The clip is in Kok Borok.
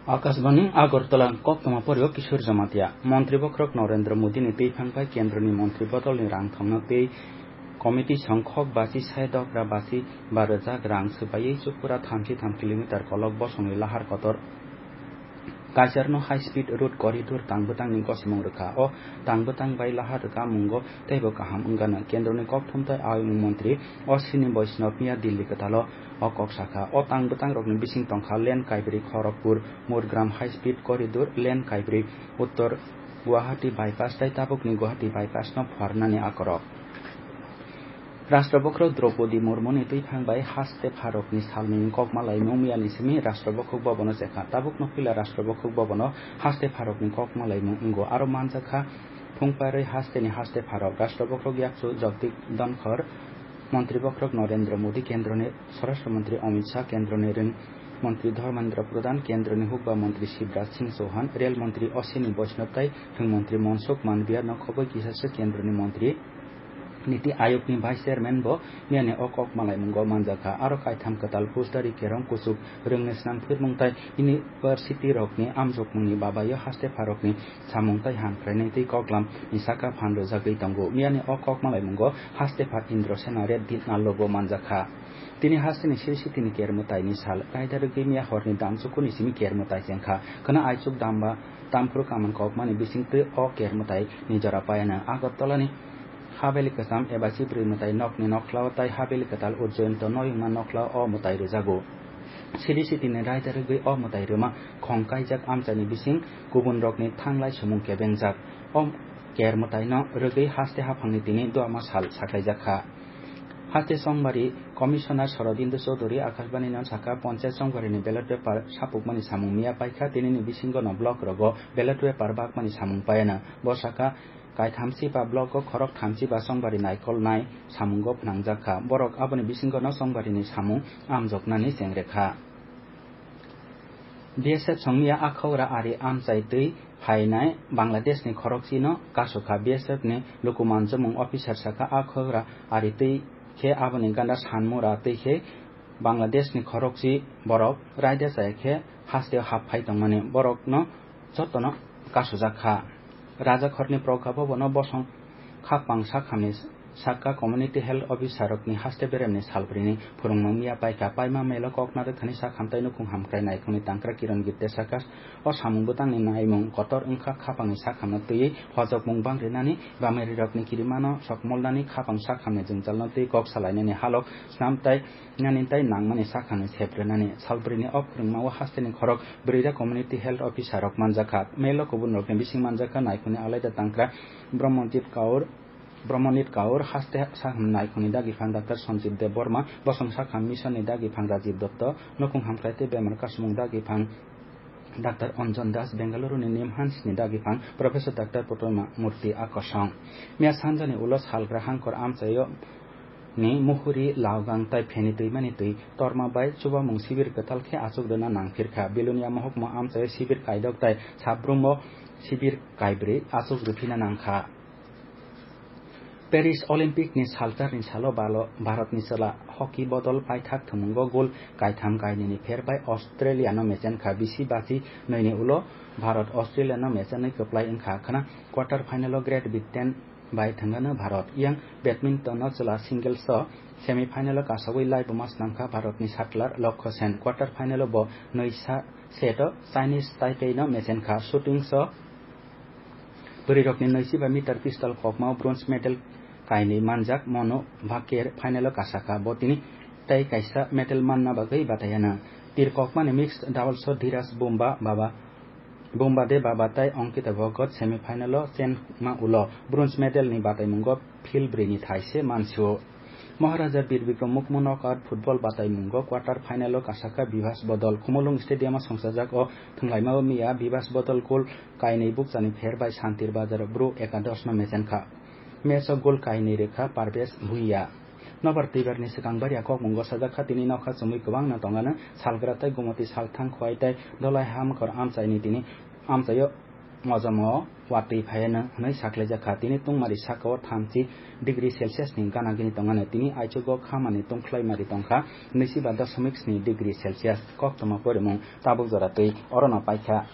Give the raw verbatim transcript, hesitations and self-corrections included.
Akashbani Agartala, koktwma porio Kishore Jamatia. Montri bokhorok Narendra Modi ni twiphang bai kendroni montri bodolni rang thongna tei committee song khok basi sai dogra basi ba rwjak rang swbaiwi Chukura thamchi tham kilometer kolok bosongni lahar kotor Kaijarno high speed road corridor tangbwtangni gosimung rwkha. O tangbwtang bai lahar rwkamungo teibo kaham wngano. Kendroni kokthum tei ayung montri Ashwini Vaishnav miya Delhi kwtalo o kok sakha. O tangbwtangrokni bising tongkha lane kaibrwi Kharagpur Murgaon high speed corridor, lane kaibrwi Uttor Guwahati bypass tei tabukni Guwahati bypass no phuarnani akorok. Rashtra bokhorok Draupadi Murmuni twiphang bai haste pharokni salni kokma laimung miyani simi Rashtra bokhorok bobono chekha. Tabukno puila Rashtra bokhorok bobono haste pharokni kokma laimung wngo. Aro manjakha phungparwi hasteni haste pharok. Rashtra bokhorok yakchu Jagdeep Dhankhar, Montri bokhorok Narendra Modi, Kendroni Swarashtra Montri Amit Shah, Kendroni Rwng Montri Dharmendra Pradhan, Kendroni Hukba Montri Shivraj Singh Chauhan, Rel Montri Ashwini Vaishnav tai Thwng Montri Mansukh Mandaviya no khoboi kisasa Kendroni Montri Niti Ayogni Vice Chairman bo miyani o kok malaimungo manjakha. Aro kaitham kwtal phusdari kerong kuchuk rwngni swnam phirmung tai university rokni amjokmungni babaio haste pharokni samung tai hamkrainai tei koklam ni saka phan rwjagwi tongo. Miyani o kok malaimungo haste phar Indra Sena Reddy Nallo bo manjakha. Tini hasteni siri sitini kermwtaini sal, kaida rwgwi miya horni damsukuni simi kermwtai chengkha. Khwna aichuk damba tamphru kaman kokmani bisingtwi o kermwtai ni jora payano. Agartala ni Haveli kwcham eba chibrwi mwtai nokni nokhlao tai Haveli kwtal Ujjayanta noyungma nokhlao o mwtai rwjago. Siri sitini raida rwgwi o mwtai rwma khong kaijak amchaini bising kubun rokni thanglai sumung kebengjak. O kermwtaino rwgwi haste haphangni tini duama sal sakaijakha. Haste Chongbari Commissioner Sorobindo Chowdhury Akashbani no saka, Ponchayat Chongbari ni ballot paper sapukmani samung miya paikha, tinini bisingo no block rogo ballot paper bakmani samung payano. Bo saka, kaithamchi ba block o khorok thamchi ba Chongbari naikolnai samungo phnangjakha. Borok aboni bisingo no Chongbari ni samung amjoknani chengrekha. B S F songmiya Akhaura ari amchai twi phainai Bangladesh ni khorokchino kasukha. B S F ni luku manjomung officer saka, Akhaura ari twi khe aboni ganda Sanmura twi khe Bangladesh ni khorokchi borok raida chaya khe hasteo hap phai tongmani borokno jotono kasujak kha. Rajakhorni Prokha Bhavan o bosong khapang sakhamni saka community health officer rokni haste beremni salbrini phwrwngmung miya paikha. Paima melo kokna rwkhani sakham tei nukhung hamkrai naikhungni tangkra Kiran Gipte saka, o samung bwtangni naimung kotor wngkha khapangni sakhamno twiwi hojokmung bang rinani, bamarirokni kirimano sokmolnani, khapang sakhamni jwngjalno twi kok salainani halok snam tai nani tai nangmani sakhano sep rwnani. Salbrini o phwrwngmao hasteni khorok Brwira Community Health Officer rok manjakha. Melo kubun rokni bising manjakha naikhungni alaida tangkra Brahmajit Kaur, Brahmanit Kaur, haste sakham naikhungni dagiphang Doctor Sanjib Deb Borma, bosong sakham mission ni dagiphang Rajiv Dotto, nukhung hamkrai tei bemar kasumung dagiphang Doctor Anjan Das, Bengaluru ni Nimhans ni dagiphang Professor Doctor Putoma Murti akosong. Miya sanjani ulo salgra hangkor amchaio ni muhuri, laogang tai pheni twimani twi torma bai chubamung sibir kwtal khe achuk rwna nangphirkha. Bilonia mohokma amchaio sibir kaidok tai sabrumo sibir kaibrwi achuk rwphina nangkha. Paris Olympic ni saltarni salo balo Bharatni chwla hockey bodol paithak thumungo gol kaitham kainwini pher bai Australia no mechenkha. Bisi bachi nwini ulo Bharat Australia no mechenwi kwplai wngkha khwna. Quarter final o Great Britain bai thwngano Bharat. Yang badminton o chwla singles o semi final o kasogwi laibuma swnamkha Bharatni shuttler Lokho Sen. Quarter final o bo nwi sa set o Chinese Taipei no mechenkha. Shooting o bwrwirokni nwichiba meter pistol kokmao bronze medal kainwi manjak Manu Bhaker final o kasakha. Bo tini tei kaisa medal manna bagwi batayana. Tir kokmani mixed doubles o Dhiraj Bumba baba Bumbade Baba tai Ankita Bhagat semi final o chenma ulo bronze medal ni bataimungo phil bwrwini thaise mansio. Maharaja Bir Bikram Mukmo knockout football bataimungo quarter final o kasakha Bibas Bodol. Khumulwng Stadium o songchajak o thwnglaimao miya Bibas Bodol goal kainwi bukchani pher bai Santir Bazar Bru Ekadosh no mechenkha. Match o goal kainwi rwkha Parvesh Bhuiya. Nobar twibarni swkang bariya kokmungo sajak kha, tini nokha chumui kwbangno tongano salgra tei gumoti salthang khwai tei dolai hamkor amchaini tini amchaio Mojomo watwi phaianw hwnwi saklaijakha. Tini tungmari sakao thamchi degree Celsius ni gana gini tongmani. Tini aichugo khamani tungkhlaimari tongkha nwichiba dosomik sni degree Celsius. Koktwma porimung tabuk jora twi orono paikha.